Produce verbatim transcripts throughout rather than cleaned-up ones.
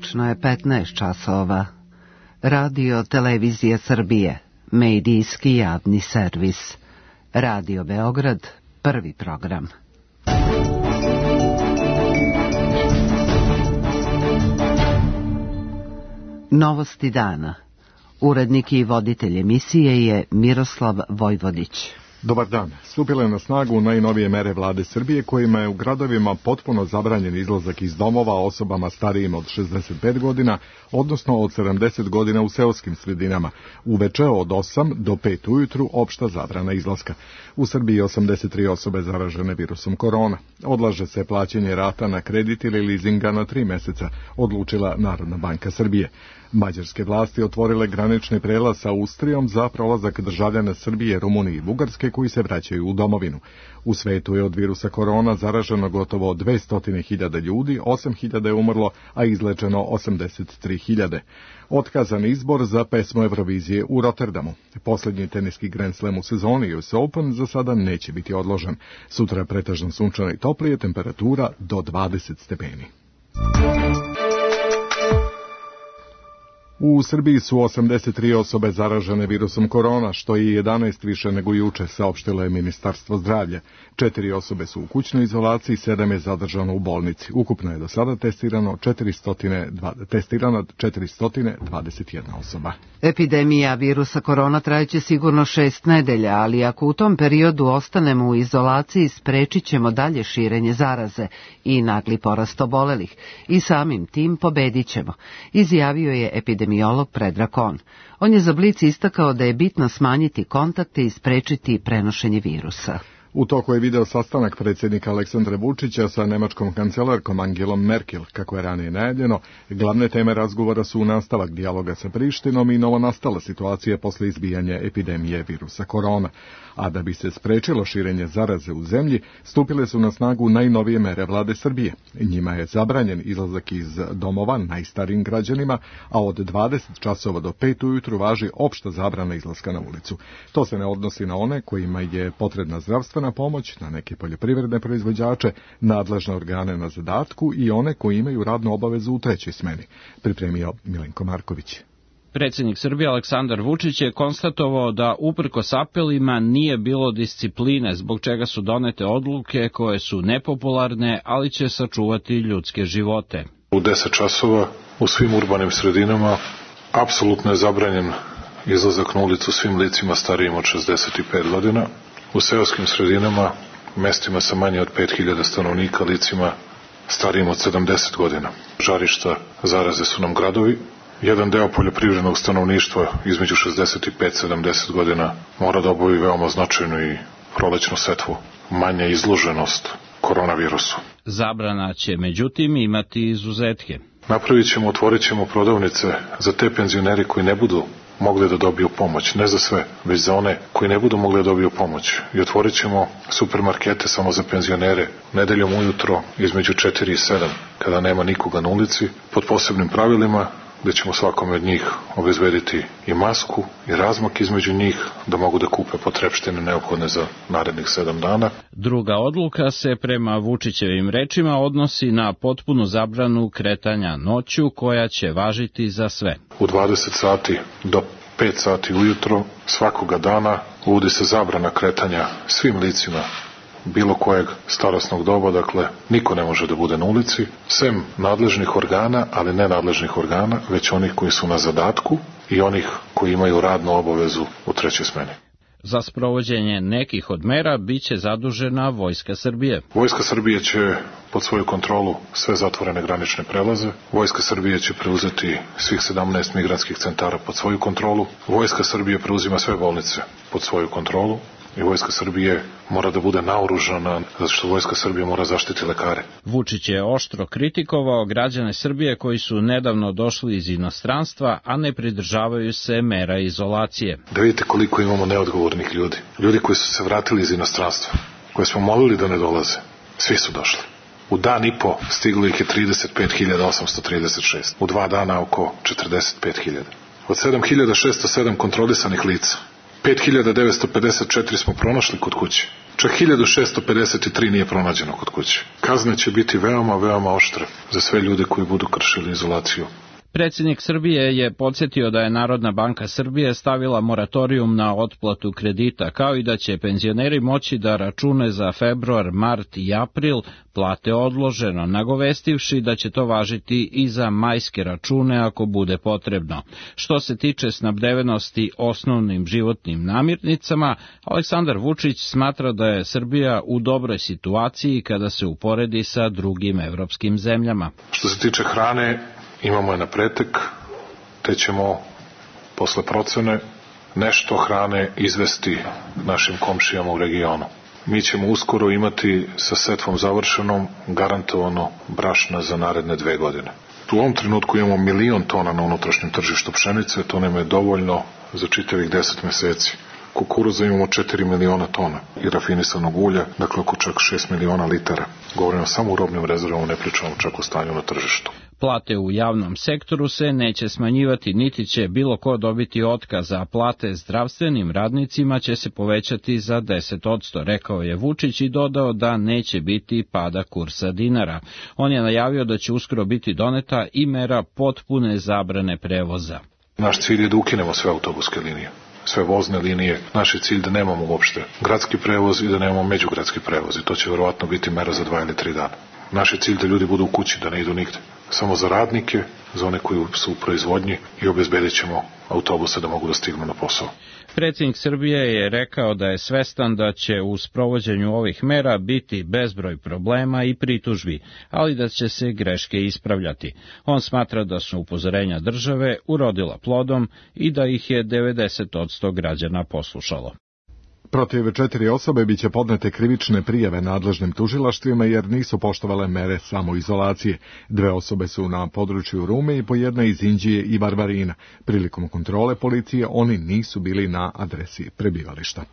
Tačno je petnaest časova. Radio Televizija Srbije, medijski javni servis. Radio Beograd, prvi program. Novosti dana. Urednik i voditelj emisije je Miroslav Vojvodić. Dobar dan. Stupile na snagu najnovije mere vlade Srbije kojima je u gradovima potpuno zabranjen izlazak iz domova osobama starijim od šezdeset pet godina, odnosno od sedamdeset godina u seoskim sredinama. Uveče od osam do pet ujutru opšta zabrana izlaska. U Srbiji osamdeset tri osobe zaražene virusom korona. Odlaže se plaćanje rata na kredit ili lizinga na tri meseca, odlučila Narodna banka Srbije. Mađarske vlasti otvorile granični prelaz sa Austrijom za prolazak državljana Srbije, Rumunije i Bugarske koji se vraćaju u domovinu. U svetu je od virusa korona zaraženo gotovo dvesta hiljada ljudi, osam hiljada je umrlo, a izlečeno osamdeset tri hiljade. Otkazan izbor za pesmu Eurovizije u Rotterdamu. Poslednji teniski Grand Slam u sezoni U S Open za sada neće biti odložen. Sutra pretežno sunčano i toplije, temperatura do dvadeset stepeni. U Srbiji su osamdeset tri osobe zaražene virusom korona, što je jedanaest više nego juče, saopštilo je Ministarstvo zdravlja. Četiri osobe su u kućnoj izolaciji, sedam je zadržano u bolnici. Ukupno je do sada testirano četiristo dvadeset jedna osoba. Epidemija virusa korona trajeće sigurno šest nedelja, ali ako u tom periodu ostanemo u izolaciji, sprečit ćemo dalje širenje zaraze i nagli porast obolelih i samim tim pobedit ćemo, izjavio je epidemiolog Predrag Kon. On je za Blic istakao da je bitno smanjiti kontakte i sprečiti prenošenje virusa. U toku je video sastanak predsjednika Aleksandra Vučića sa nemačkom kancelarkom Angelom Merkel, kako je ranije najavljeno. Glavne teme razgovora su nastavak dijaloga sa Prištinom i novonastala situacija posle izbijanja epidemije virusa korona. A da bi se sprečilo širenje zaraze u zemlji, stupile su na snagu najnovije mere vlade Srbije. Njima je zabranjen izlazak iz domova najstarijim građanima, a od dvadeset časova do pet ujutru važi opšta zabrana izlaska na ulicu. To se ne odnosi na one kojima je potrebna zdravstvena pomoć, na neke poljoprivredne proizvođače, nadležne organe na zadatku i one koji imaju radnu obavezu u trećoj smeni, pripremio Milenko Marković. Predsjednik Srbije Aleksandar Vučić je konstatovao da uprkos apelima nije bilo discipline, zbog čega su donete odluke koje su nepopularne, ali će sačuvati ljudske živote. U deset časova u svim urbanim sredinama apsolutno je zabranjen izlazak na ulicu svim licima starijim od šezdeset pet godina. U seoskim sredinama, mestima sa manje od pet hiljada stanovnika, licima starijim od sedamdeset godina. Žarišta zaraze su nam gradovi. Jedan deo poljoprivrednog stanovništva između šezdeset pet i sedamdeset godina mora da obavi veoma značajnu i prolećnu setvu. Manja izloženost koronavirusu. Zabrana će međutim imati izuzetke. Napravit ćemo, otvorit ćemo prodavnice za te penzioneri koji ne budu mogli da dobiju pomoć, ne za sve, već za one koji ne budu mogli da dobiju pomoć. I otvorit ćemo supermarkete samo za penzionere nedeljom ujutro između četiri i sedam, kada nema nikoga na ulici, pod posebnim pravilima, gde ćemo svakome od njih obezbediti i masku i razmak između njih da mogu da kupe potrepštine neophodne za narednih sedam dana. Druga odluka se prema Vučićevim rečima odnosi na potpunu zabranu kretanja noću koja će važiti za sve. U dvadeset sati do pet sati ujutro svakoga dana uvodi se zabrana kretanja svim licima bilo kojeg starosnog doba, dakle niko ne može da bude na ulici, sem nadležnih organa, ali ne nadležnih organa, već onih koji su na zadatku i onih koji imaju radnu obavezu u trećoj smeni. Za sprovođenje nekih od mera biće zadužena Vojska Srbije. Vojska Srbije će pod svoju kontrolu sve zatvorene granične prelaze. Vojska Srbije će preuzeti svih sedamnaest migrantskih centara pod svoju kontrolu. Vojska Srbije preuzima sve bolnice pod svoju kontrolu. I Vojska Srbije mora da bude naoružana, zato što Vojska Srbije mora zaštiti lekare. Vučić je oštro kritikovao građane Srbije koji su nedavno došli iz inostranstva, a ne pridržavaju se mera izolacije. Da vidite koliko imamo neodgovornih ljudi. Ljudi koji su se vratili iz inostranstva, koje smo molili da ne dolaze. Svi su došli. U dan i po stiglo ih je trideset pet hiljada osamsto trideset šest. U dva dana oko četrdeset pet hiljada. Od sedam hiljada šesto sedam kontrolisanih lica pet hiljada devetsto pedeset četiri smo pronašli kod kuće. Čak hiljadu šesto pedeset tri nije pronađeno kod kuće. Kazne će biti veoma, veoma oštre za sve ljude koji budu kršili izolaciju. Predsjednik Srbije je podsjetio da je Narodna banka Srbije stavila moratorijum na otplatu kredita, kao i da će penzioneri moći da račune za februar, mart i april plate odloženo, nagovestivši da će to važiti i za majske račune ako bude potrebno. Što se tiče snabdevenosti osnovnim životnim namirnicama, Aleksandar Vučić smatra da je Srbija u dobroj situaciji kada se uporedi sa drugim evropskim zemljama. Što se tiče hrane, imamo je na pretek, te ćemo posle procene nešto hrane izvesti našim komšijama u regionu. Mi ćemo uskoro imati sa setvom završenom garantovano brašna za naredne dve godine. U ovom trenutku imamo milion tona na unutrašnjem tržištu pšenice, to nam je dovoljno za čitavih deset meseci. Kukuruza imamo četiri miliona tona i rafinisanog ulja, dakle oko čak šest miliona litara. Govorimo samo u robnim rezervama, ne pričamo čak o stanju na tržištu. Plate u javnom sektoru se neće smanjivati, niti će bilo ko dobiti otkaz, a plate zdravstvenim radnicima će se povećati za deset posto, rekao je Vučić i dodao da neće biti pada kursa dinara. On je najavio da će uskoro biti doneta i mera potpune zabrane prevoza. Naš cilj je da ukinemo sve autobuske linije, sve vozne linije. Naš je cilj da nemamo uopšte gradski prevoz i da nemamo međugradski prevoz i to će verovatno biti mera za dva ili tri dana. Naš je cilj da ljudi budu u kući, da ne idu nigde. Samo za radnike, za one koji su u proizvodnji i obezbedit ćemo autobuse da mogu da stignu na posao. Predsjednik Srbije je rekao da je svestan da će u sprovođenju ovih mera biti bezbroj problema i pritužbi, ali da će se greške ispravljati. On smatra da su upozorenja države urodila plodom i da ih je devedeset posto građana poslušalo. Protiv četiri osobe biće podnete krivične prijave nadležnim tužilaštvima jer nisu poštovale mere samoizolacije. Dve osobe su na području Rume i po jedna iz Inđije i Varvarina. Prilikom kontrole policije oni nisu bili na adresi prebivališta.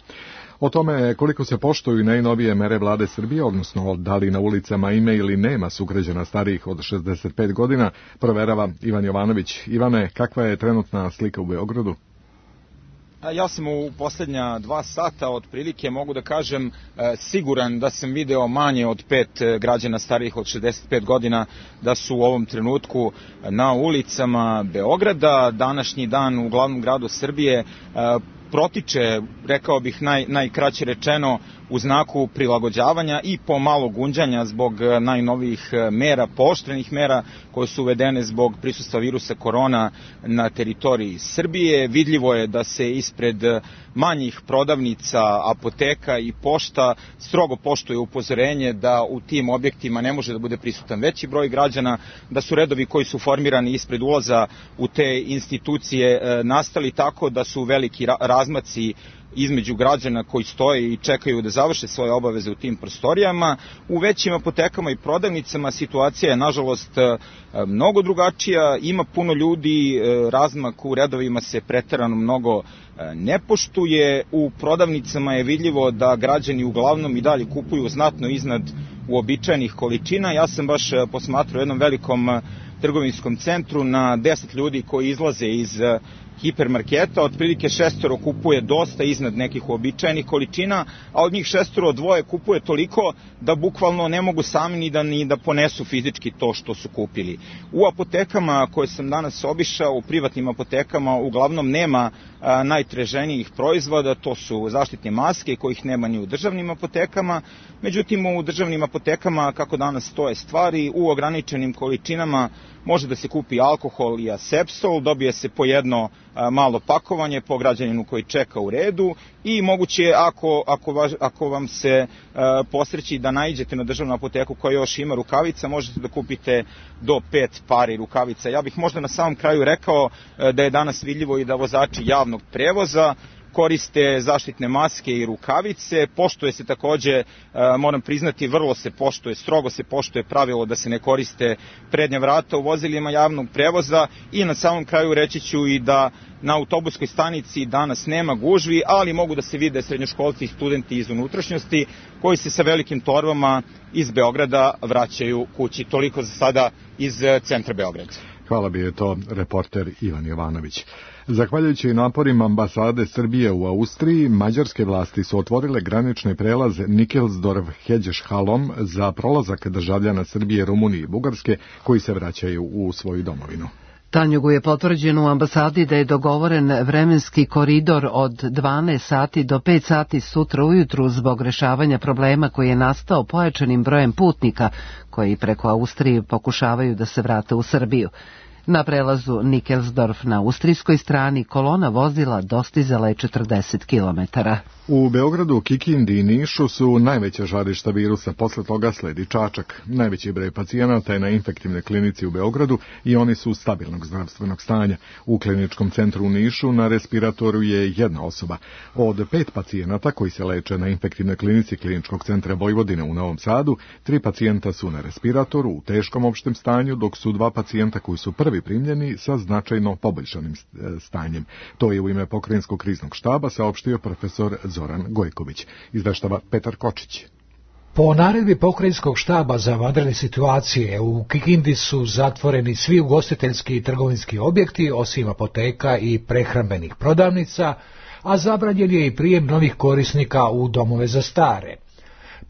O tome koliko se poštuju najnovije mere vlade Srbije, odnosno da li na ulicama ima ili nema sugrađana starijih od šezdeset pet godina, proverava Ivan Jovanović. Ivane, kakva je trenutna slika u Beogradu? Ja sam u posljednja dva sata otprilike, mogu da kažem, siguran da sam video manje od pet građana starijih od šezdeset pet godina da su u ovom trenutku na ulicama Beograda. Današnji dan u glavnom gradu Srbije protiče, rekao bih naj, najkraće rečeno, u znaku prilagođavanja i pomalo gunđanja zbog najnovijih mera, pooštrenih mera koje su uvedene zbog prisustva virusa korona na teritoriji Srbije. Vidljivo je da se ispred manjih prodavnica, apoteka i pošta strogo poštuje upozorenje da u tim objektima ne može da bude prisutan veći broj građana, da su redovi koji su formirani ispred ulaza u te institucije nastali tako da su veliki razmaci između građana koji stoje i čekaju da završe svoje obaveze u tim prostorijama. U većim apotekama i prodavnicama situacija je nažalost mnogo drugačija, ima puno ljudi, razmak u redovima se preterano mnogo ne poštuje. U prodavnicama je vidljivo da građani uglavnom i dalje kupuju znatno iznad uobičajenih količina. Ja sam baš posmatrao u jednom velikom trgovinskom centru na deset ljudi koji izlaze iz hipermarketa, otprilike šestoro kupuje dosta iznad nekih uobičajenih količina, a od njih šestoro dvoje kupuje toliko da bukvalno ne mogu sami ni da, ni da ponesu fizički to što su kupili. U apotekama koje sam danas obišao, u privatnim apotekama, uglavnom nema a, najtraženijih proizvoda, to su zaštitne maske kojih nema ni u državnim apotekama, međutim u državnim apotekama, kako danas stoje stvari, u ograničenim količinama može da se kupi alkohol i asepsol, dobije se po jedno a, malo pakovanje po građaninu koji čeka u redu i moguće je, ako, ako, važ, ako vam se a, posreći da naiđete na državnu apoteku koja još ima rukavica, možete da kupite do pet pari rukavica. Ja bih možda na samom kraju rekao a, da je danas vidljivo i da vozači javnog prevoza koriste zaštitne maske i rukavice, poštuje se takođe, moram priznati, vrlo se poštuje, strogo se poštuje pravilo da se ne koriste prednja vrata u vozilima javnog prevoza i na samom kraju reći ću i da na autobuskoj stanici danas nema gužvi, ali mogu da se vide srednjoškolci i studenti iz unutrašnjosti koji se sa velikim torbama iz Beograda vraćaju kući. Toliko za sada iz centra Beograda. Hvala, bio je to reporter Ivan Jovanović. Zahvaljujući naporima ambasade Srbije u Austriji, mađarske vlasti su otvorile granični prelaz Nikelsdorf-Hedžeš-Halom za prolazak državljana Srbije, Rumunije i Bugarske koji se vraćaju u svoju domovinu. Tanjugu je potvrđeno u ambasadi da je dogovoren vremenski koridor od dvanaest sati do pet sati sutra ujutru zbog rešavanja problema koji je nastao pojačanim brojem putnika koji preko Austrije pokušavaju da se vrate u Srbiju. Na prelazu Nikelsdorf na austrijskoj strani kolona vozila dostizala je četrdeset kilometara. U Beogradu, Kikindi i Nišu su najveća žarišta virusa, posle toga sledi Čačak. Najveći broj pacijenata je na infektivnoj klinici u Beogradu i oni su stabilnog zdravstvenog stanja. U kliničkom centru u Nišu na respiratoru je jedna osoba. Od pet pacijenata koji se leče na infektivnoj klinici kliničkog centra Vojvodine u Novom Sadu, tri pacijenta su na respiratoru u teškom opštem stanju, dok su dva pacijenta koji su prvi primljeni sa značajno poboljšanim stanjem. To je u ime Pokrajinskog kriznog štaba saopštio profesor Zoran Gojković. Izveštava Petar Kočić. Po naredbi Pokrajinskog štaba za vanredne situacije u Kikindi su zatvoreni svi ugostiteljski i trgovinski objekti osim apoteka i prehrambenih prodavnica, a zabranjen je i prijem novih korisnika u domove za stare.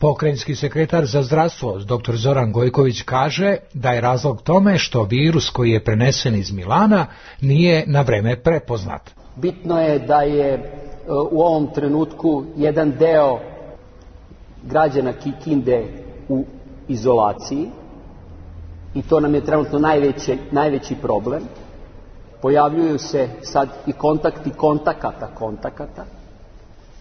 Pokrajinski sekretar za zdravstvo dr Zoran Gojković kaže da je razlog tome što virus koji je prenesen iz Milana nije na vreme prepoznat. Bitno je da je u ovom trenutku jedan deo građana Kikinde u izolaciji i to nam je trenutno najveći, najveći problem. Pojavljuju se sad i kontakti kontakata kontakata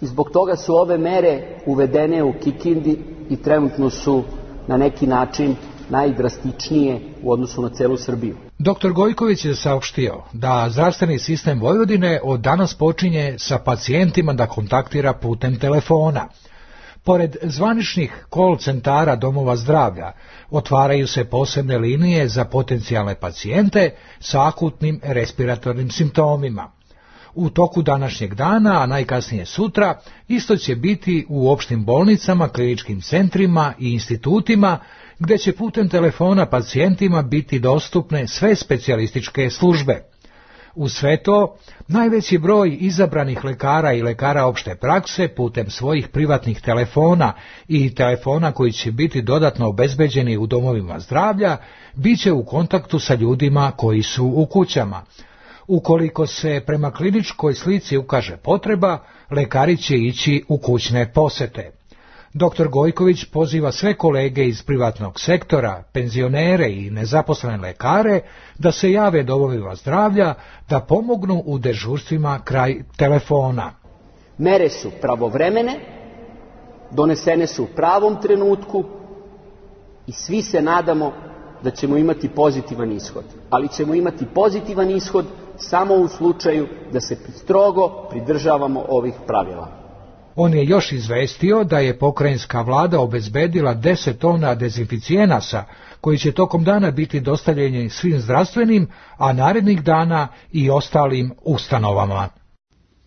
i zbog toga su ove mere uvedene u Kikindi i trenutno su na neki način najdrastičnije u odnosu na celu Srbiju. doktor Gojković je saopštio da zdravstveni sistem Vojvodine od danas počinje sa pacijentima da kontaktira putem telefona. Pored zvaničnih call centara domova zdravlja, otvaraju se posebne linije za potencijalne pacijente sa akutnim respiratornim simptomima. U toku današnjeg dana, a najkasnije sutra, isto će biti u opštim bolnicama, kliničkim centrima i institutima, gde će putem telefona pacijentima biti dostupne sve specijalističke službe. U sve to, najveći broj izabranih lekara i lekara opšte prakse putem svojih privatnih telefona i telefona koji će biti dodatno obezbeđeni u domovima zdravlja, bit će u kontaktu sa ljudima koji su u kućama. Ukoliko se prema kliničkoj slici ukaže potreba, lekari će ići u kućne posete. doktor Gojković poziva sve kolege iz privatnog sektora, penzionere i nezaposlene lekare da se jave domovima zdravlja da pomognu u dežurstvima kraj telefona. Mere su pravovremene, donesene su u pravom trenutku i svi se nadamo da ćemo imati pozitivan ishod. Ali ćemo imati pozitivan ishod samo u slučaju da se strogo pridržavamo ovih pravila. On je još izvestio da je pokrajinska vlada obezbedila deset tona dezinficijenasa koji će tokom dana biti dostavljeni svim zdravstvenim, a narednih dana i ostalim ustanovama.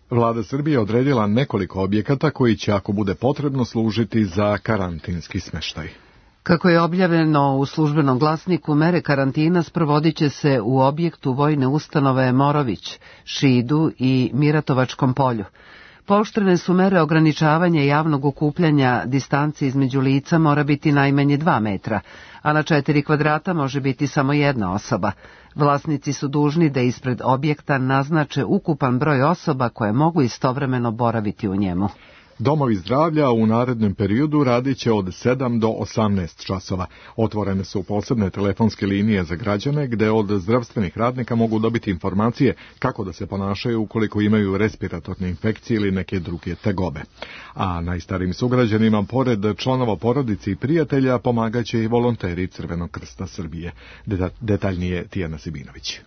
Vlada Srbije odredila nekoliko objekata koji će, ako bude potrebno, služiti za karantinski smeštaj. Kako je objavljeno u službenom glasniku, mere karantina sprovodit će se u objektu vojne ustanove Morović, Šidu i Miratovačkom polju. Pooštrene su mere ograničavanja javnog okupljanja, distanci između lica mora biti najmanje dva metra, a na četiri kvadrata može biti samo jedna osoba. Vlasnici su dužni da ispred objekta naznače ukupan broj osoba koje mogu istovremeno boraviti u njemu. Domovi zdravlja u narednom periodu radit će od sedam do osamnaest časova. Otvorene su posebne telefonske linije za građane gde od zdravstvenih radnika mogu dobiti informacije kako da se ponašaju ukoliko imaju respiratorne infekcije ili neke druge tegobe. A najstarijim sugrađanima, pored članova porodice i prijatelja, pomagaće i volonteri Crvenog krsta Srbije. Detaljnije Tijana Sibinović.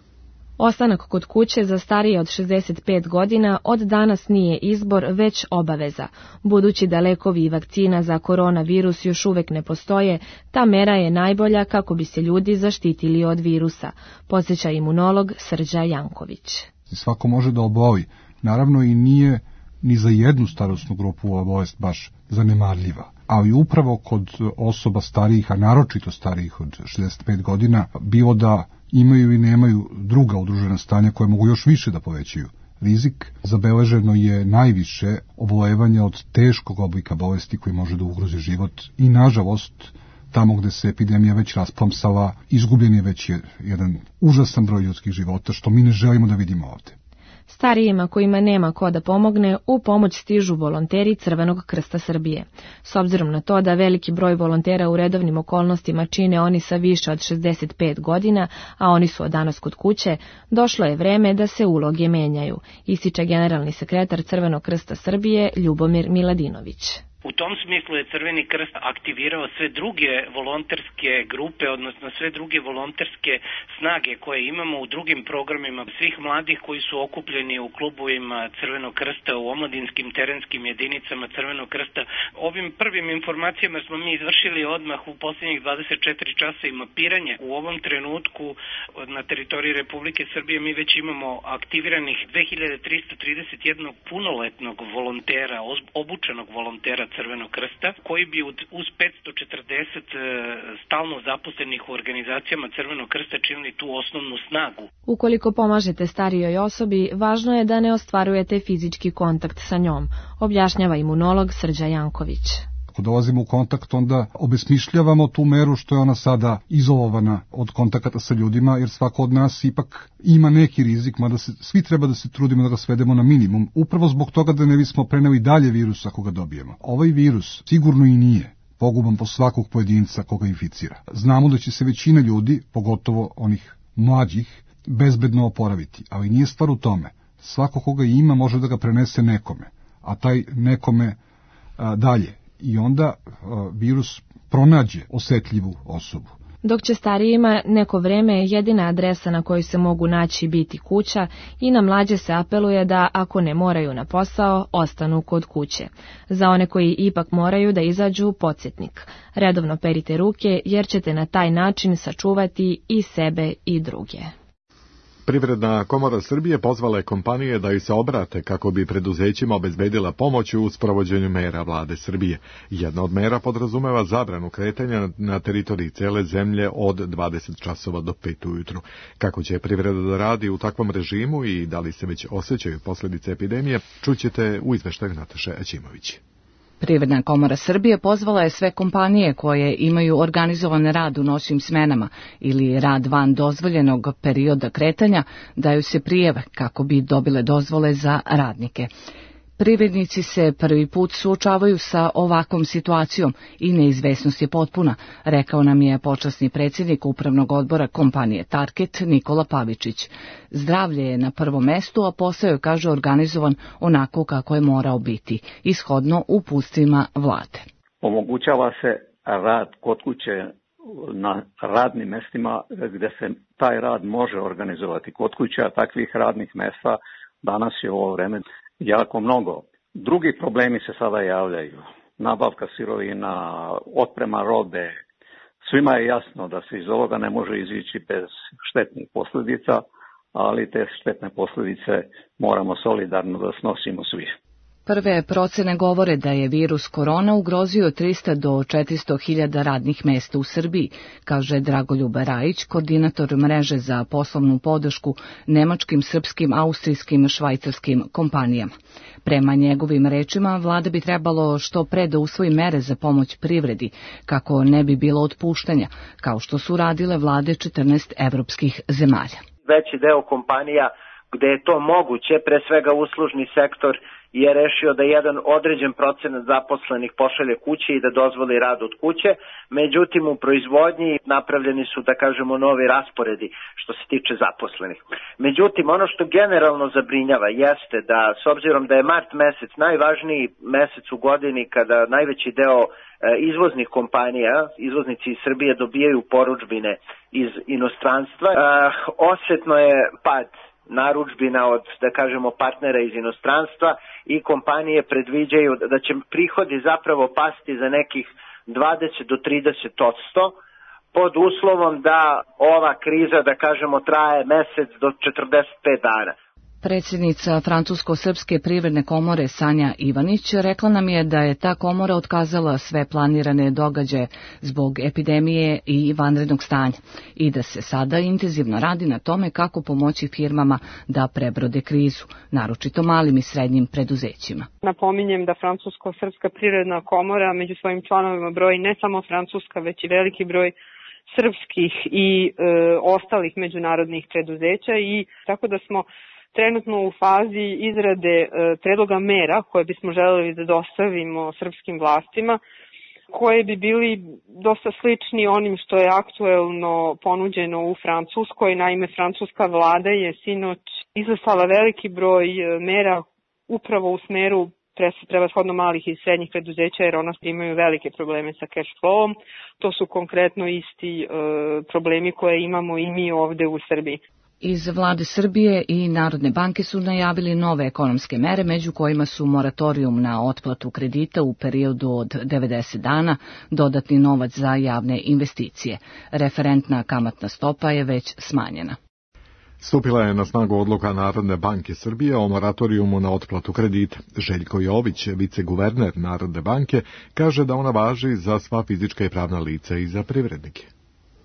Ostanak kod kuće za starije od šezdeset pet godina od danas nije izbor, već obaveza. Budući da lekovi i vakcina za koronavirus još uvek ne postoje, ta mera je najbolja kako bi se ljudi zaštitili od virusa, podsjeća imunolog Srđa Janković. Svako može da oboli. Naravno i nije ni za jednu starosnu grupu ova bolest baš zanemarljiva. Ali upravo kod osoba starijih, a naročito starijih od šezdeset pet godina, bilo da imaju i nemaju druga udružena stanja koje mogu još više da povećaju rizik. Zabeleženo je najviše obolevanja od teškog oblika bolesti koji može da ugrozi život i nažalost tamo gde se epidemija već rasplamsala, izgubljen je već jedan užasan broj ljudskih života, što mi ne želimo da vidimo ovde. Starijima kojima nema ko da pomogne, u pomoć stižu volonteri Crvenog krsta Srbije. S obzirom na to da veliki broj volontera u redovnim okolnostima čine oni sa više od šezdeset pet godina, a oni su od danas kod kuće, došlo je vreme da se uloge menjaju, ističe generalni sekretar Crvenog krsta Srbije Ljubomir Miladinović. U tom smislu je Crveni krst aktivirao sve druge volonterske grupe, odnosno sve druge volonterske snage koje imamo u drugim programima svih mladih koji su okupljeni u klubovima Crvenog krsta, u omladinskim terenskim jedinicama Crvenog krsta. Ovim prvim informacijama smo mi izvršili odmah u posljednjih dvadeset četiri časa i mapiranje. U ovom trenutku na teritoriji Republike Srbije mi već imamo aktiviranih dve hiljade trista trideset jedan punoletnog volontera, obučenog volontera Crvenog krsta, koji bi uz petsto četrdeset stalno zaposlenih u organizacijama Crvenog krsta činili tu osnovnu snagu. Ukoliko pomažete starijoj osobi, važno je da ne ostvarujete fizički kontakt sa njom, objašnjava imunolog Srđa Janković. Ako dolazimo u kontakt, onda obesmišljavamo tu meru što je ona sada izolovana od kontakata sa ljudima, jer svako od nas ipak ima neki rizik, mada se, svi treba da se trudimo da ga svedemo na minimum, upravo zbog toga da ne bismo preneli dalje virus ako ga dobijemo. Ovaj virus sigurno i nije poguban po svakog pojedinca koga inficira. Znamo da će se većina ljudi, pogotovo onih mlađih, bezbedno oporaviti, ali nije stvar u tome. Svako koga ima može da ga prenese nekome, a taj nekome a, dalje. I onda uh, virus pronađe osetljivu osobu. Dok će starijima neko vreme jedina adresa na kojoj se mogu naći biti kuća i na mlađe se apeluje da ako ne moraju na posao, ostanu kod kuće. Za one koji ipak moraju da izađu, podsjetnik. Redovno perite ruke jer ćete na taj način sačuvati i sebe i druge. Privredna komora Srbije pozvala je kompanije da ih se obrate kako bi preduzećima obezbedila pomoć u sprovođenju mera vlade Srbije. Jedna od mera podrazumeva zabranu kretanja na teritoriji cele zemlje od dvadeset časova do pet ujutru. Kako će privreda da radi u takvom režimu i da li se već osjećaju posljedice epidemije, čućete u izveštaju Nataše Aćimović. Privredna komora Srbije pozvala je sve kompanije koje imaju organizovan rad u noćnim smenama ili rad van dozvoljenog perioda kretanja da ju se prijave kako bi dobile dozvole za radnike. Privrednici se prvi put suočavaju sa ovakvom situacijom i neizvesnost je potpuna, rekao nam je počasni predsjednik upravnog odbora kompanije Target Nikola Pavičić. Zdravlje je na prvom mestu, a posao je, kaže, organizovan onako kako je morao biti, ishodno uputstvima vlade. Omogućava se rad kod kuće na radnim mestima gde se taj rad može organizovati kod kuće, a takvih radnih mesta danas je u ovo vreme jako mnogo. Drugi problemi se sada javljaju. Nabavka sirovina, otprema robe. Svima je jasno da se iz ovoga ne može izići bez štetnih posljedica, ali te štetne posljedice moramo solidarno da snosimo svi. Prve procene govore da je virus korona ugrozio trista do četiristo hiljada radnih mesta u Srbiji, kaže Dragoljub Rajić, koordinator mreže za poslovnu podršku nemačkim, srpskim, austrijskim, švajcarskim kompanijama. Prema njegovim rečima, vlada bi trebalo što pre da usvoji mere za pomoć privredi, kako ne bi bilo otpuštanja, kao što su radile vlade četrnaest evropskih zemalja. Veći deo kompanija gde je to moguće, pre svega uslužni sektor, je rešio da jedan određen procenat zaposlenih pošalje kuće i da dozvoli rad od kuće. Međutim, u proizvodnji napravljeni su, da kažemo, novi rasporedi što se tiče zaposlenih. Međutim, ono što generalno zabrinjava jeste da, s obzirom da je mart mesec najvažniji mesec u godini kada najveći deo izvoznih kompanija, izvoznici iz Srbije dobijaju porudžbine iz inostranstva, osetno je pad narudžbina od, da kažemo, partnera iz inostranstva i kompanije predviđaju da će prihodi zapravo pasti za nekih dvadeset do trideset posto pod uslovom da ova kriza, da kažemo, traje mesec do četrdeset pet dana. Predsjednica Francusko-srpske privredne komore Sanja Ivanić rekla nam je da je ta komora otkazala sve planirane događaje zbog epidemije i vanrednog stanja i da se sada intenzivno radi na tome kako pomoći firmama da prebrode krizu, naročito malim i srednjim preduzećima. Napominjem da Francusko-srpska privredna komora među svojim članovima broji ne samo francuska, već i veliki broj srpskih i e, ostalih međunarodnih preduzeća i tako da smo trenutno u fazi izrade e, predloga mera koje bismo želeli da dostavimo srpskim vlastima, koje bi bili dosta slični onim što je aktuelno ponuđeno u Francuskoj. Naime, francuska vlada je sinoć izlistala veliki broj mera upravo u smeru prevashodno malih i srednjih preduzeća, jer ona imaju velike probleme sa cash flowom. To su konkretno isti e, problemi koje imamo i mi ovde u Srbiji. Iz vlade Srbije i Narodne banke su najavili nove ekonomske mere, među kojima su moratorijum na otplatu kredita u periodu od devedeset dana, dodatni novac za javne investicije. Referentna kamatna stopa je već smanjena. Stupila je na snagu odluka Narodne banke Srbije o moratorijumu na otplatu kredita. Željko Jović, viceguverner Narodne banke, kaže da ona važi za sva fizička i pravna lica i za privrednike.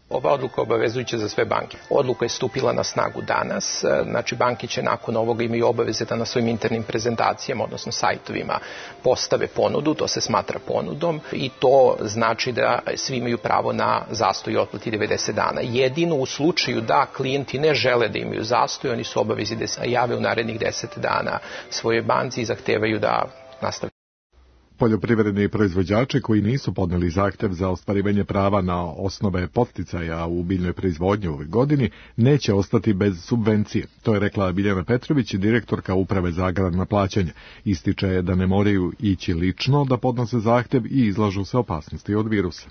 Ova odluka je obavezujuća za sve banke. Odluka je stupila na snagu danas, znači banke će nakon ovoga imaju obaveze da na svojim internim prezentacijama, odnosno sajtovima, postave ponudu, to se smatra ponudom i to znači da svi imaju pravo na zastoj i otplati devedeset dana. Jedino u slučaju da klijenti ne žele da imaju zastoj, oni su obavezi da se jave u narednih deset dana svojoj banci i zahtevaju da nastave. Poljoprivredni proizvođači koji nisu podneli zahtev za ostvarivanje prava na osnove podsticaja u biljnoj proizvodnji u ovoj godini neće ostati bez subvencije. To je rekla Biljana Petrović, direktorka Uprave za agrarna plaćanja. Ističe da ne moraju ići lično da podnose zahtev i izlažu se opasnosti od virusa.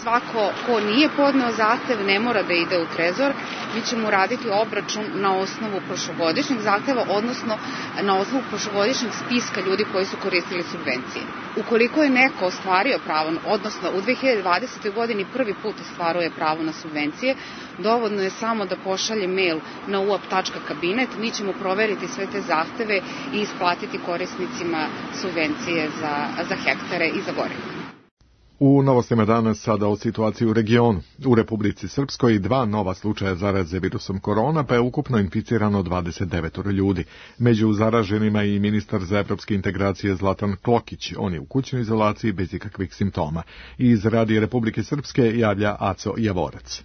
Svako ko nije podneo zahtev ne mora da ide u trezor, mi ćemo raditi obračun na osnovu prošlogodišnjeg zahteva, odnosno na osnovu prošlogodišnjeg spiska ljudi koji su koristili subvencije. Ukoliko je neko ostvario pravo, odnosno u dve hiljade dvadesetoj godini prvi put ostvaruje pravo na subvencije, dovoljno je samo da pošalje mail na u a p tačka kabinet, mi ćemo proveriti sve te zahteve i isplatiti korisnicima subvencije za, za hektare i za gorivo. U novostima danas sada o situaciji u regionu. U Republici Srpskoj dva nova slučaja zaraze virusom korona, pa je ukupno inficirano dvadeset devet ljudi. Među zaraženima i ministar za evropske integracije Zlatan Klokić. On je u kućnoj izolaciji bez ikakvih simptoma. Iz Radija Republike Srpske javlja Aco Javorac.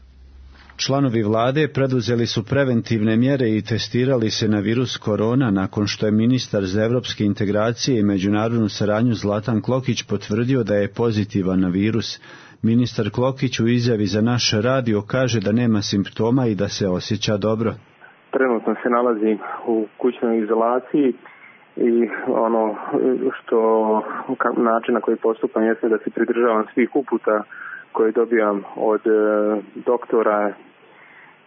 Članovi vlade preduzeli su preventivne mjere i testirali se na virus korona nakon što je ministar za evropske integracije i međunarodnu saradnju Zlatan Klokić potvrdio da je pozitivan na virus. Ministar Klokić u izjavi za naš radio kaže da nema simptoma i da se osjeća dobro. Trenutno se nalazim u kućnoj izolaciji i ono što način na koji postupam jeste da se pridržavam svih uputa koje dobijam od e, doktora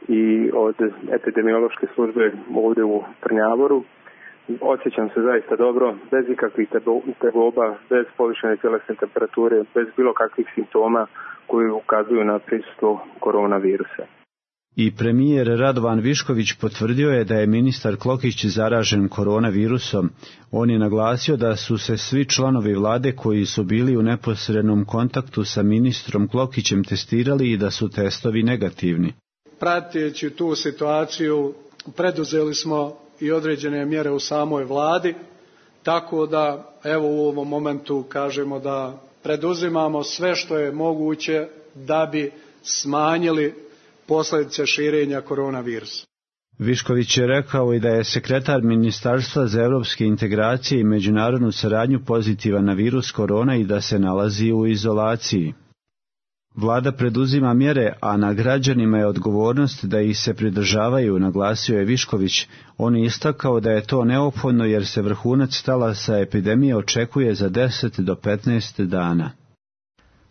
i od epidemiološke službe ovdje u Trnjavoru. Osjećam se zaista dobro, bez ikakvih tegoba, bez povišene tjelesne temperature, bez bilo kakvih simptoma koji ukazuju na prisustvo koronavirusa. I premijer Radovan Višković potvrdio je da je ministar Klokić zaražen koronavirusom. On je naglasio da su se svi članovi vlade koji su bili u neposrednom kontaktu sa ministrom Klokićem testirali i da su testovi negativni. Prateći tu situaciju, preduzeli smo i određene mjere u samoj vladi, tako da evo u ovom momentu kažemo da preduzimamo sve što je moguće da bi smanjili posljedice širenja koronavirusa. Višković je rekao i da je sekretar Ministarstva za evropske integracije i međunarodnu saradnju pozitivan na virus korona i da se nalazi u izolaciji. Vlada preduzima mjere, a na građanima je odgovornost da ih se pridržavaju, naglasio je Višković. On je istakao da je to neophodno jer se vrhunac talasa epidemije očekuje za deset do petnaest dana.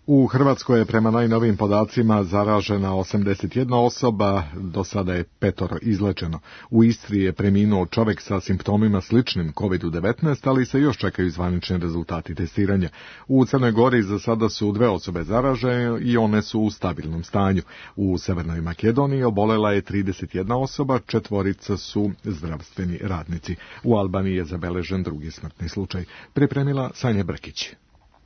U Hrvatskoj je prema najnovijim podacima zaražena osamdeset jedna osoba, do sada je petoro izlečeno. U Istri je preminuo čovjek sa simptomima sličnim kovid devetnaest, ali se još čekaju zvanični rezultati testiranja. U Crnoj Gori za sada su dve osobe zaražene i one su u stabilnom stanju. U Severnoj Makedoniji obolela je trideset jedna osoba, četvorica su zdravstveni radnici. U Albaniji je zabeležen drugi smrtni slučaj. Pripremila Sanja Brkić.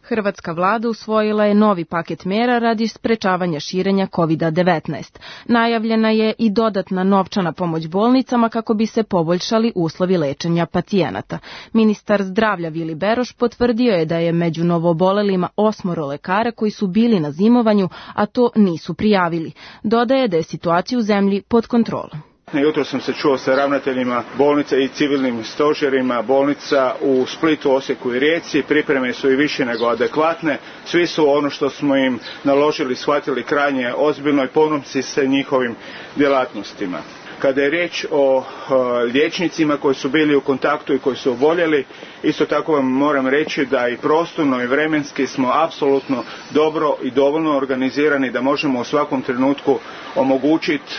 Hrvatska vlada usvojila je novi paket mera radi sprečavanja širenja kovid devetnaest. Najavljena je i dodatna novčana pomoć bolnicama kako bi se poboljšali uslovi lečenja pacijenata. Ministar zdravlja Vili Beroš potvrdio je da je među novoobolelima osmoro lekara koji su bili na zimovanju, a to nisu prijavili. Dodaje da je situacija u zemlji pod kontrolom. Jutro sam se čuo sa ravnateljima bolnica i civilnim stožerima bolnica u Splitu, Osijeku i Rijeci. Pripreme su i više nego adekvatne. Svi su ono što smo im naložili shvatili krajnje ozbiljno i ponosni se njihovim djelatnostima. Kada je riječ o liječnicima koji su bili u kontaktu i koji su oboljeli, isto tako vam moram reći da i prostorno i vremenski smo apsolutno dobro i dovoljno organizirani da možemo u svakom trenutku omogućiti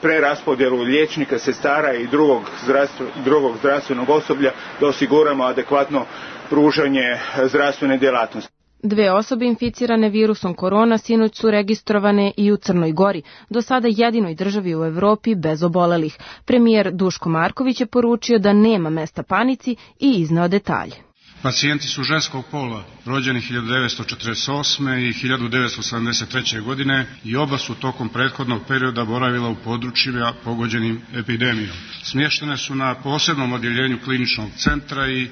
preraspodjelu liječnika, sestara i drugog, zdravstven, drugog zdravstvenog osoblja da osiguramo adekvatno pružanje zdravstvene djelatnosti. Dve osobe inficirane virusom korona sinoć su registrovane i u Crnoj Gori, do sada jedinoj državi u Evropi bez obolelih. Premijer Duško Marković je poručio da nema mesta panici i izneo detalje. Pacijenti su ženskog pola, rođeni hiljadu devetsto četrdeset osme i hiljadu devetsto sedamdeset treće. godine i oba su tokom prethodnog perioda boravila u područjima pogođenim epidemijom. Smještene su na posebnom odjeljenju kliničnog centra i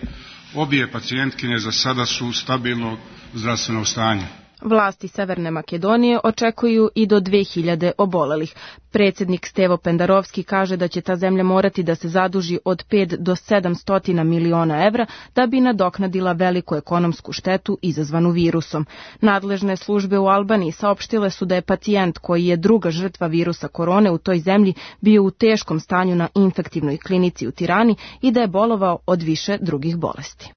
obje pacijentkinje za sada su stabilnog zdravstvenog stanja. Vlasti Severne Makedonije očekuju i do dve hiljade obolelih. Predsjednik Stevo Pendarovski kaže da će ta zemlja morati da se zaduži od pet do sedamsto miliona evra da bi nadoknadila veliku ekonomsku štetu izazvanu virusom. Nadležne službe u Albaniji saopštile su da je pacijent koji je druga žrtva virusa korone u toj zemlji bio u teškom stanju na infektivnoj klinici u Tirani i da je bolovao od više drugih bolesti.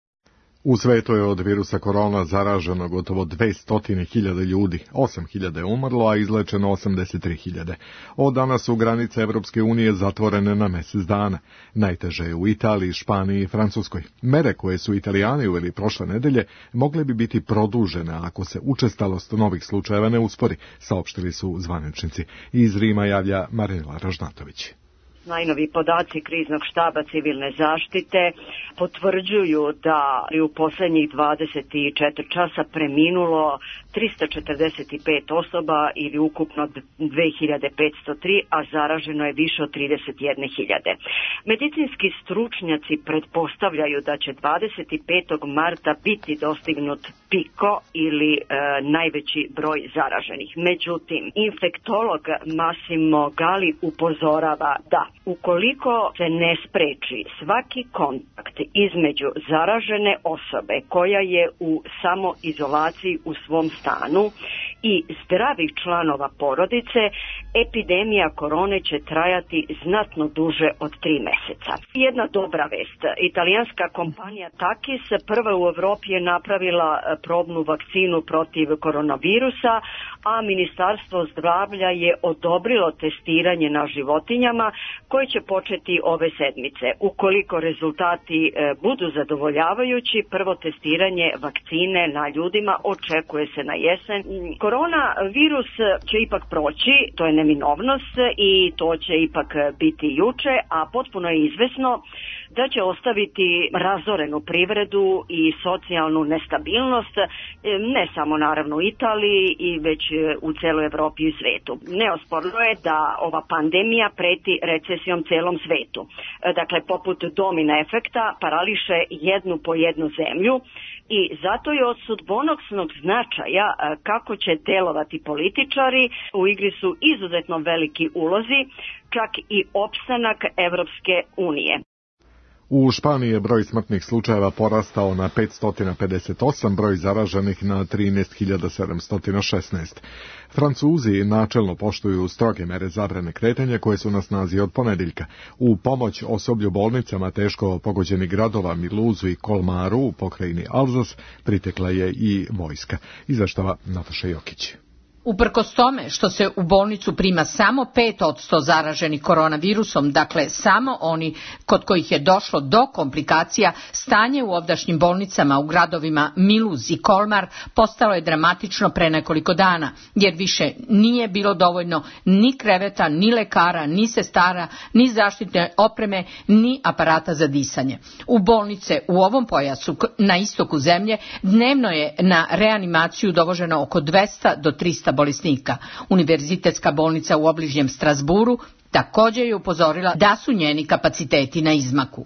U svetu je od virusa korona zaraženo gotovo dvesta hiljada ljudi, osam hiljada je umrlo, a izlečeno osamdeset tri hiljade. Od danas su granice Evropske unije zatvorene na mjesec dana. Najteže je u Italiji, Španiji i Francuskoj. Mere koje su Italijani uveli prošle nedelje mogle bi biti produžene ako se učestalost novih slučajeva ne uspori, saopštili su zvaničnici. Iz Rima javlja Marina Ražnatović. Najnovi podaci kriznog štaba civilne zaštite potvrđuju da je u posljednjih dvadeset četiri časa preminulo trista četrdeset pet osoba ili ukupno dve hiljade petsto tri, a zaraženo je više od trideset jedne hiljade. Medicinski stručnjaci pretpostavljaju da će dvadeset petog marta biti dostignut piko ili e, najveći broj zaraženih. Međutim, infektolog Massimo Gali upozorava da ukoliko se ne spreči svaki kontakt između zaražene osobe koja je u samoizolaciji u svom stanu i zdravih članova porodice, epidemija korone će trajati znatno duže od tri mjeseca. Jedna dobra vest. Italijanska kompanija Takis prva u Europi je napravila probnu vakcinu protiv koronavirusa, a Ministarstvo zdravlja je odobrilo testiranje na životinjama koje će početi ove sedmice. Ukoliko rezultati budu zadovoljavajući, prvo testiranje vakcine na ljudima očekuje se na jesen. Koronavirus će ipak proći, to je neminovnost i to će ipak biti juče, a potpuno je izvesno da će ostaviti razorenu privredu i socijalnu nestabilnost, ne samo naravno u Italiji i već u celoj Evropi i svijetu. Neosporno je da ova pandemija preti recesijom celom svetu. Dakle, poput domina efekta parališe jednu po jednu zemlju i zato je od sudbonosnog značaja kako će delovati političari. U igri su izuzetno veliki ulozi, čak i opstanak Evropske unije. U Španiji je broj smrtnih slučajeva porastao na petsto pedeset osam, broj zaraženih na trinaest hiljada sedamsto šesnaest. Francuzi načelno poštuju stroge mere zabrane kretanja koje su na snazi od ponedeljka. U pomoć osoblju bolnicama teško pogođenih gradova Miluzu i Kolmaru u pokrajini Alzas pritekla je i vojska. Izveštava Nataša Jokić. Uprkos tome što se u bolnicu prima samo pet posto zaraženih koronavirusom, dakle samo oni kod kojih je došlo do komplikacija, stanje u ovdašnjim bolnicama u gradovima Miluz i Kolmar postalo je dramatično pre nekoliko dana, jer više nije bilo dovoljno ni kreveta, ni lekara, ni sestara, ni zaštitne opreme, ni aparata za disanje. U bolnice u ovom pojasu na istoku zemlje dnevno je na reanimaciju dovoženo oko dvesta do trista bolesnika. Univerzitetska bolnica u obližnjem Strasburu također je upozorila da su njeni kapaciteti na izmaku.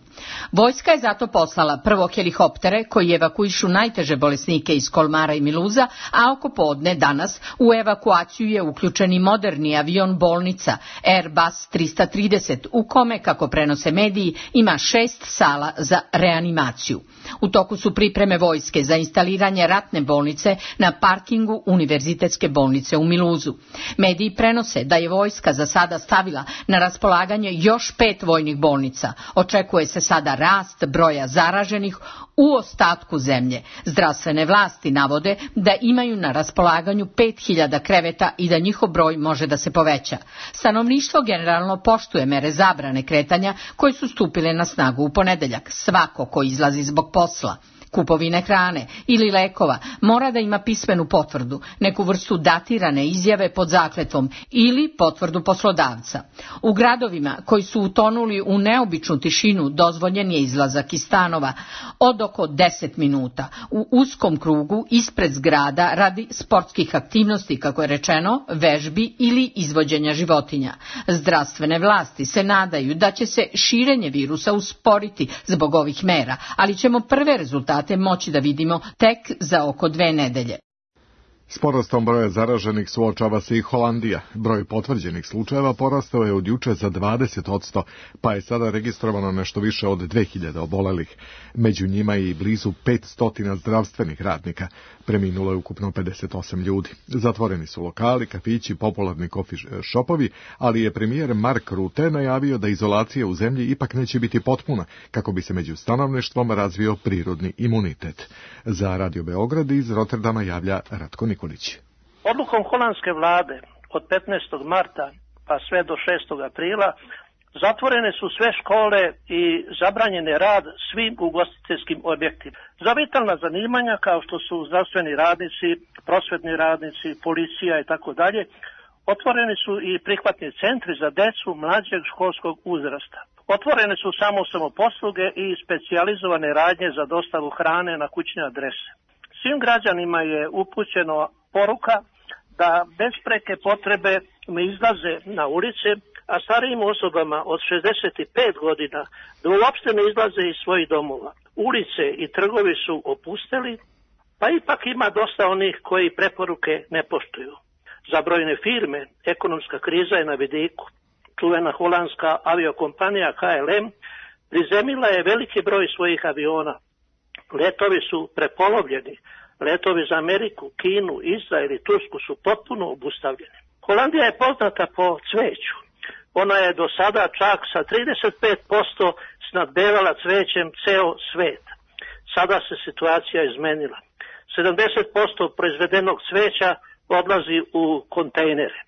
Vojska je zato poslala prvo helikoptere koji evakuišu najteže bolesnike iz Kolmara i Miluza, a oko podne danas u evakuaciju je uključen i moderni avion bolnica Airbus trista trideset, u kome, kako prenose mediji, ima šest sala za reanimaciju. U toku su pripreme vojske za instaliranje ratne bolnice na parkingu Univerzitetske bolnice u Miluzu. Mediji prenose da je vojska za sada stavila na raspolaganje još pet vojnih bolnica. Očekuje se sada rast broja zaraženih u ostatku zemlje. Zdravstvene vlasti navode da imaju na raspolaganju pet hiljada kreveta i da njihov broj može da se poveća. Stanovništvo generalno poštuje mere zabrane kretanja koje su stupile na snagu u ponedeljak. Svako ko izlazi zbog posla, kupovine hrane ili lekova mora da ima pismenu potvrdu, neku vrstu datirane izjave pod zakletvom ili potvrdu poslodavca. U gradovima koji su utonuli u neobičnu tišinu dozvoljen je izlazak iz stanova od oko deset minuta u uskom krugu ispred zgrada radi sportskih aktivnosti, kako je rečeno, vežbi ili izvođenja životinja. Zdravstvene vlasti se nadaju da će se širenje virusa usporiti zbog ovih mera, ali ćemo prve rezultate moći da vidimo tek za oko dve nedelje. S porastom broja zaraženih suočava se i Holandija. Broj potvrđenih slučajeva porastao je od juče za dvadeset posto, pa je sada registrovano nešto više od dve hiljade obolelih. Među njima je i blizu petsto zdravstvenih radnika. Preminulo je ukupno pedeset osam ljudi. Zatvoreni su lokali, kafići, popularni kofi šopovi, ali je premijer Mark Rutte najavio da izolacija u zemlji ipak neće biti potpuna, kako bi se među stanovništvom razvio prirodni imunitet. Za Radio Beograd iz Rotterdama javlja Ratko Nikolić. Odlukom holandske vlade od petnaestog marta pa sve do šestog aprila zatvorene su sve škole i zabranjene rad svim ugostiteljskim objektima. Za vitalna zanimanja kao što su zdravstveni radnici, prosvetni radnici, policija i tako dalje, otvoreni su i prihvatni centri za decu mlađeg školskog uzrasta. Otvorene su samo samoposluge i specijalizovane radnje za dostavu hrane na kućne adrese. Svim građanima je upućeno poruka da bez preke potrebe ne izlaze na ulice, a starijim osobama od šezdeset pet godina da uopšte ne izlaze iz svojih domova. Ulice i trgovi su opusteli, pa ipak ima dosta onih koji preporuke ne poštuju. Za brojne firme ekonomska kriza je na vidiku. Čuvena holandska aviokompanija K L M prizemila je veliki broj svojih aviona. Letovi su prepolovljeni. Letovi za Ameriku, Kinu, Izrael i Tursku su potpuno obustavljeni. Holandija je poznata po cveću. Ona je do sada čak sa trideset pet posto snadbevala cvećem ceo svet. Sada se situacija izmenila. sedamdeset posto proizvedenog cveća odlazi u kontejnere.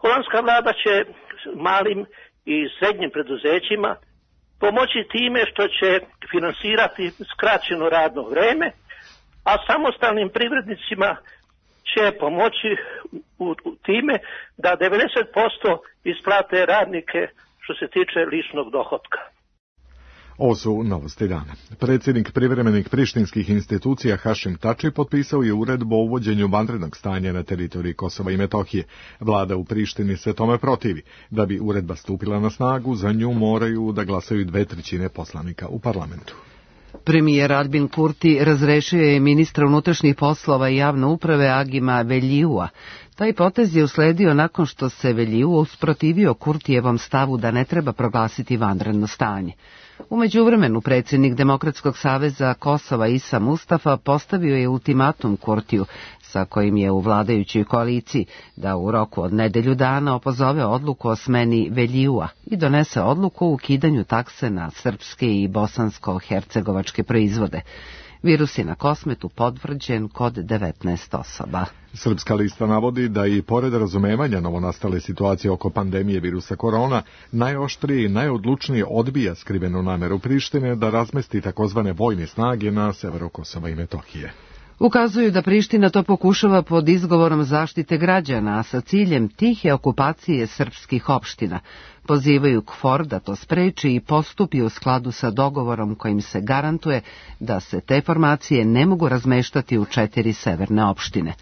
Holandska vlada će malim i srednjim preduzećima pomoći time što će finansirati skraćeno radno vreme, a samostalnim privrednicima će pomoći u, u time da devedeset posto isplate radnike što se tiče ličnog dohotka. Ovo su novosti dana. Predsjednik privremenih prištinskih institucija Hašim Tači potpisao je uredbu o uvođenju vanrednog stanja na teritoriji Kosova i Metohije. Vlada u Prištini se tome protivi. Da bi uredba stupila na snagu, za nju moraju da glasaju dve trećine poslanika u parlamentu. Premijer Albin Kurti razrešio je ministra unutrašnjih poslova i javne uprave Agima Veljiua. Taj potez je usledio nakon što se Veljiu usprotivio Kurtijevom stavu da ne treba proglasiti vanredno stanje. U međuvremenu predsjednik Demokratskog saveza Kosova Isa Mustafa postavio je ultimatum Kurtiju, sa kojim je u vladajućoj koaliciji, da u roku od nedelju dana opozove odluku o smeni Veljua i donese odluku o ukidanju takse na srpske i bosansko-hercegovačke proizvode. Virus je na Kosmetu potvrđen kod devetnaest osoba. Srpska lista navodi da i pored razumevanja novonastale situacije oko pandemije virusa korona, najoštrije i najodlučnije odbija skrivenu nameru Prištine da razmesti takozvane vojne snage na severu Kosova i Metohije. Ukazuju da Priština to pokušava pod izgovorom zaštite građana, a sa ciljem tihe okupacije srpskih opština. Pozivaju KFOR da to spreči i postupi u skladu sa dogovorom kojim se garantuje da se te formacije ne mogu razmeštati u četiri severne opštine.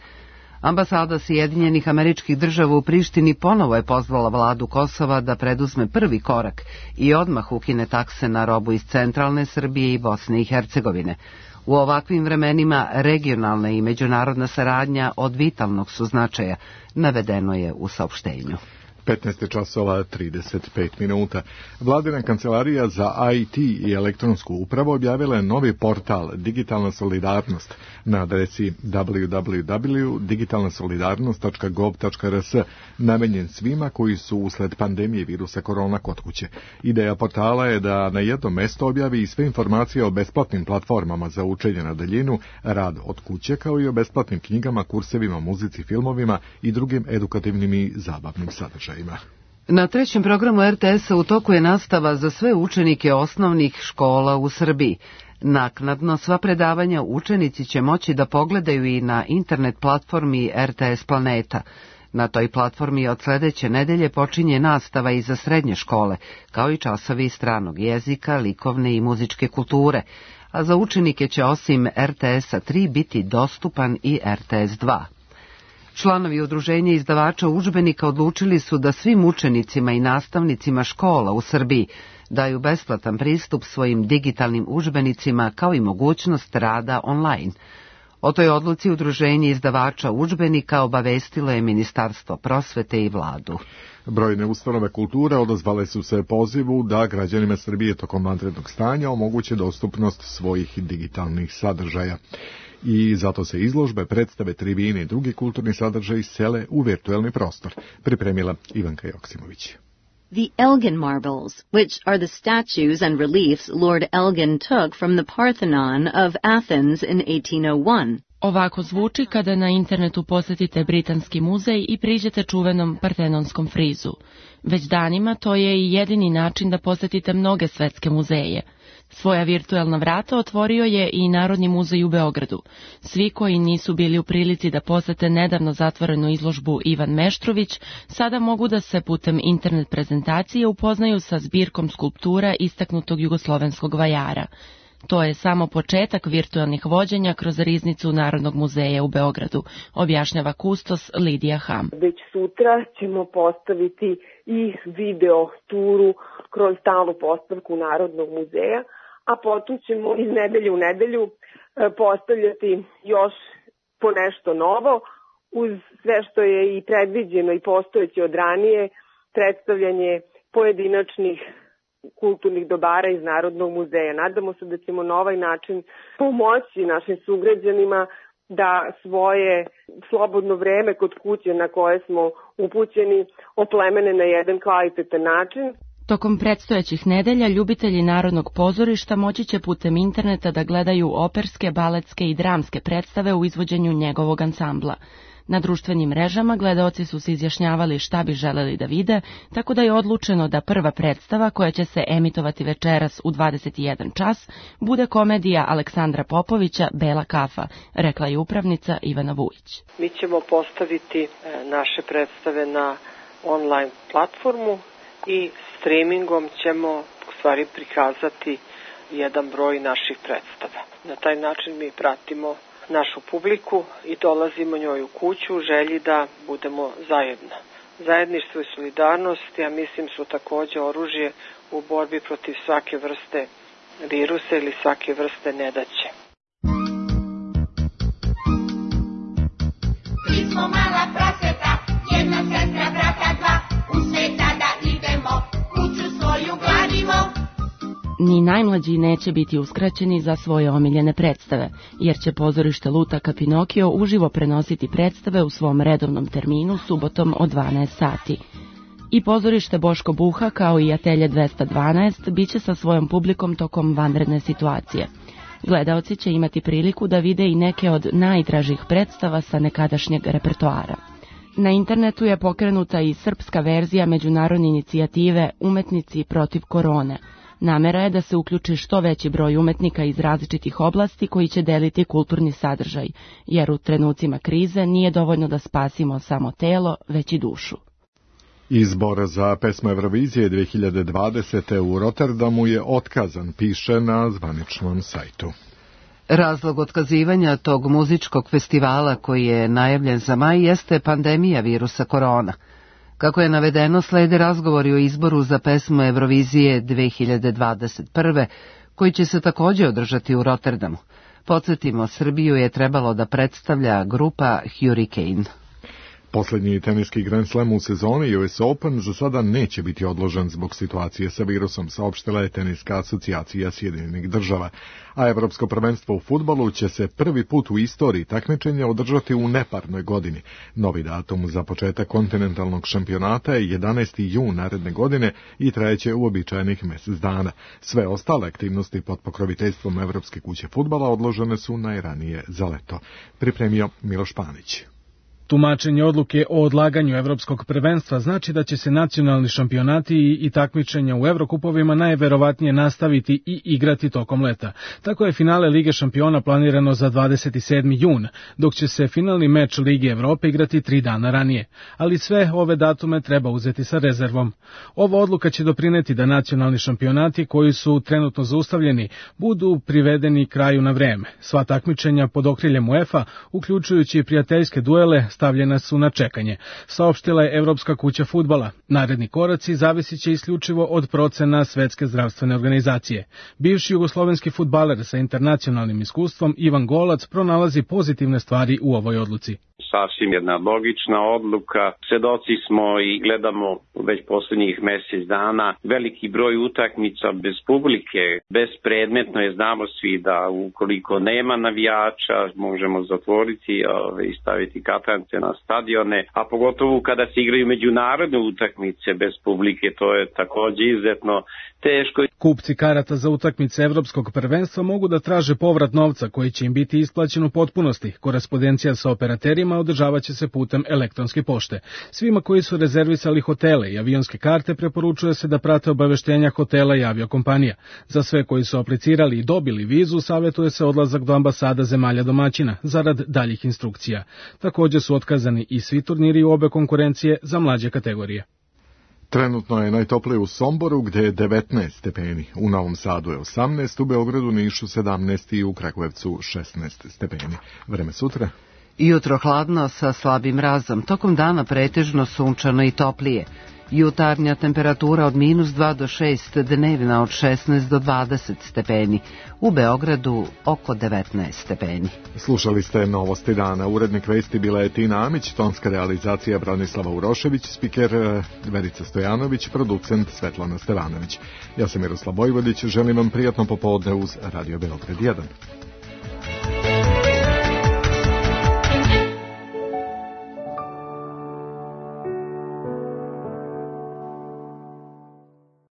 Ambasada Sjedinjenih Američkih Država u Prištini ponovo je pozvala vladu Kosova da preduzme prvi korak i odmah ukine takse na robu iz centralne Srbije i Bosne i Hercegovine. U ovakvim vremenima regionalna i međunarodna saradnja od vitalnog su značaja, navedeno je u saopštenju. petnaest časova trideset pet minuta. Vladina kancelarija za I T i elektronsku upravu objavila je novi portal Digitalna solidarnost na adresi w w w tačka digitalna solidarnost tačka gov tačka r s, namenjen svima koji su usled pandemije virusa korona kod kuće. Ideja portala je da na jednom mjestu objavi i sve informacije o besplatnim platformama za učenje na daljinu, rad od kuće, kao i o besplatnim knjigama, kursevima, muzici, filmovima i drugim edukativnim i zabavnim sadržajima. Na trećem programu R T S-a u toku je nastava za sve učenike osnovnih škola u Srbiji. Naknadno sva predavanja učenici će moći da pogledaju i na internet platformi R T S Planeta. Na toj platformi od sledeće nedelje počinje nastava i za srednje škole, kao i časovi stranog jezika, likovne i muzičke kulture, a za učenike će osim R T S-a tri biti dostupan i R T S dva. Članovi udruženja izdavača udžbenika odlučili su da svim učenicima i nastavnicima škola u Srbiji daju besplatan pristup svojim digitalnim udžbenicima kao i mogućnost rada online. O toj odluci udruženje izdavača udžbenika obavestilo je Ministarstvo prosvete i vladu. Brojne ustanove kulture odazvale su se pozivu da građanima Srbije tokom vanrednog stanja omoguće dostupnost svojih digitalnih sadržaja. I zato se izložbe, predstave, tribine i drugi kulturni sadržaji sele u virtuelni prostor, pripremila Ivanka Joksimović. The Elgin marbles, which are the statues and reliefs Lord Elgin took from the Parthenon of Athens in eighteen oh one. Ovako zvuči kada na internetu posjetite Britanski muzej i priđete čuvenom partenonskom frizu. Već danima to je i jedini način da posjetite mnoge svetske muzeje. Svoja virtuelna vrata otvorio je i Narodni muzej u Beogradu. Svi koji nisu bili u prilici da posete nedavno zatvorenu izložbu Ivan Meštrović, sada mogu da se putem internet prezentacije upoznaju sa zbirkom skulptura istaknutog jugoslovenskog vajara. To je samo početak virtualnih vođenja kroz riznicu Narodnog muzeja u Beogradu, objašnjava kustos Lidija Ham. Već sutra ćemo postaviti i video turu kroz stalnu postavku Narodnog muzeja, a potom ćemo iz nedelje u nedelju postavljati još po nešto novo, uz sve što je i predviđeno i postojeće od ranije, predstavljanje pojedinačnih kulturnih dobara iz Narodnog muzeja. Nadamo se da ćemo na ovaj način pomoći našim sugrađanima da svoje slobodno vreme kod kuće na koje smo upućeni oplemene na jedan kvalitetan način. Tokom predstojećih nedelja ljubitelji Narodnog pozorišta moći će putem interneta da gledaju operske, baletske i dramske predstave u izvođenju njegovog ansambla. Na društvenim mrežama gledaoci su se izjašnjavali šta bi želeli da vide, tako da je odlučeno da prva predstava koja će se emitovati večeras u dvadeset jedan čas bude komedija Aleksandra Popovića Bela kafa, rekla je upravnica Ivana Vujić. Mi ćemo postaviti naše predstave na online platformu i streamingom ćemo u stvari prikazati jedan broj naših predstava. Na taj način mi pratimo našu publiku i dolazimo njoj u kuću u želji da budemo zajedno. Zajedništvo i solidarnost, ja mislim, su također oružje u borbi protiv svake vrste virusa ili svake vrste nedaće. Mi smo mala praseta, jedna sestra, brata dva, u sveta da idemo, kuću svoju gladimo. Ni najmlađi neće biti uskraćeni za svoje omiljene predstave, jer će pozorište Lutaka Pinokio uživo prenositi predstave u svom redovnom terminu subotom od dvanaest sati. I pozorište Boško Buha, kao i Atelje dvesta dvanaest, bit će sa svojom publikom tokom vanredne situacije. Gledaoci će imati priliku da vide i neke od najdražih predstava sa nekadašnjeg repertoara. Na internetu je pokrenuta i srpska verzija međunarodne inicijative Umetnici protiv korone. Namera je da se uključi što veći broj umetnika iz različitih oblasti koji će deliti kulturni sadržaj, jer u trenucima krize nije dovoljno da spasimo samo telo, već i dušu. Izbor za pesmu Eurovizije dve hiljade dvadesete. u Rotterdamu je otkazan, piše na zvaničnom sajtu. Razlog otkazivanja tog muzičkog festivala koji je najavljen za maj jeste pandemija virusa korona. Kako je navedeno, slede razgovori o izboru za pesmu Eurovizije dve hiljade dvadeset prve. koji će se također održati u Rotterdamu. Podsjetimo, Srbiju je trebalo da predstavlja grupa Hurricane. Posljednji teniski Grand Slam u sezoni U S Open za sada neće biti odložen zbog situacije sa virusom, saopštila je Teniska asocijacija Sjedinjenih država. A Evropsko prvenstvo u fudbalu će se prvi put u istoriji takmičenja održati u neparnoj godini. Novi datum za početak kontinentalnog šampionata je jedanaesti jun naredne godine i trajeće uobičajenih mjesec dana. Sve ostale aktivnosti pod pokroviteljstvom Evropske kuće fudbala odložene su najranije za leto. Pripremio Miloš Panić. Tumačenje odluke o odlaganju evropskog prvenstva znači da će se nacionalni šampionati i takmičenja u Evrokupovima najverovatnije nastaviti i igrati tokom leta. Tako je finale Lige šampiona planirano za dvadeset sedmi jun, dok će se finalni meč Lige Evrope igrati tri dana ranije. Ali sve ove datume treba uzeti sa rezervom. Ova odluka će doprineti da nacionalni šampionati koji su trenutno zaustavljeni budu privedeni kraju na vreme. Sva takmičenja pod okriljem UEFA, uključujući prijateljske duele, stavljena su na čekanje, saopštila je Evropska kuća fudbala. Naredni koraci zavisit će isključivo od procena Svetske zdravstvene organizacije. Bivši jugoslovenski fudbaler sa internacionalnim iskustvom Ivan Golac pronalazi pozitivne stvari u ovoj odluci. Sasvim jedna logična odluka. Svedoci smo i gledamo već posljednjih mjesec dana veliki broj utakmica bez publike. Bespredmetno je, znamo svi da ukoliko nema navijača možemo zatvoriti i staviti katance na stadione, a pogotovo kada se igraju međunarodne utakmice bez publike, to je također izuzetno teško. Kupci karata za utakmice Evropskog prvenstva mogu da traže povrat novca koji će im biti isplaćen u potpunosti. Korespondencija sa operaterima održavat će se putem elektronske pošte. Svima koji su rezervisali hotele i avionske karte preporučuje se da prate obaveštenja hotela i aviokompanija. Za sve koji su aplicirali i dobili vizu savjetuje se odlazak do ambasada zemalja domaćina zarad daljih instrukcija. Također su otkazani i svi turniri u obe konkurencije za mlađe kategorije. Trenutno je najtoplije u Somboru gdje je devetnaest stepeni, u Novom Sadu je osamnaest, u Beogradu, Nišu sedamnaest i u Kragujevcu šesnaest stepeni. Vreme sutra? Jutro hladno sa slabim mrazom, tokom dana pretežno sunčano i toplije. Jutarnja temperatura od minus dva do šest, dnevna od šesnaest do dvadeset stepeni. U Beogradu oko devetnaest stepeni. Slušali ste Novosti dana. Urednik vesti bila je Tina Amić, tonska realizacija Branislava Urošević, spiker Verica Stojanović, producent Svetlana Stevanović. Ja sam Miroslav Vojvodić, želim vam prijatno popodne uz Radio Beograd jedan.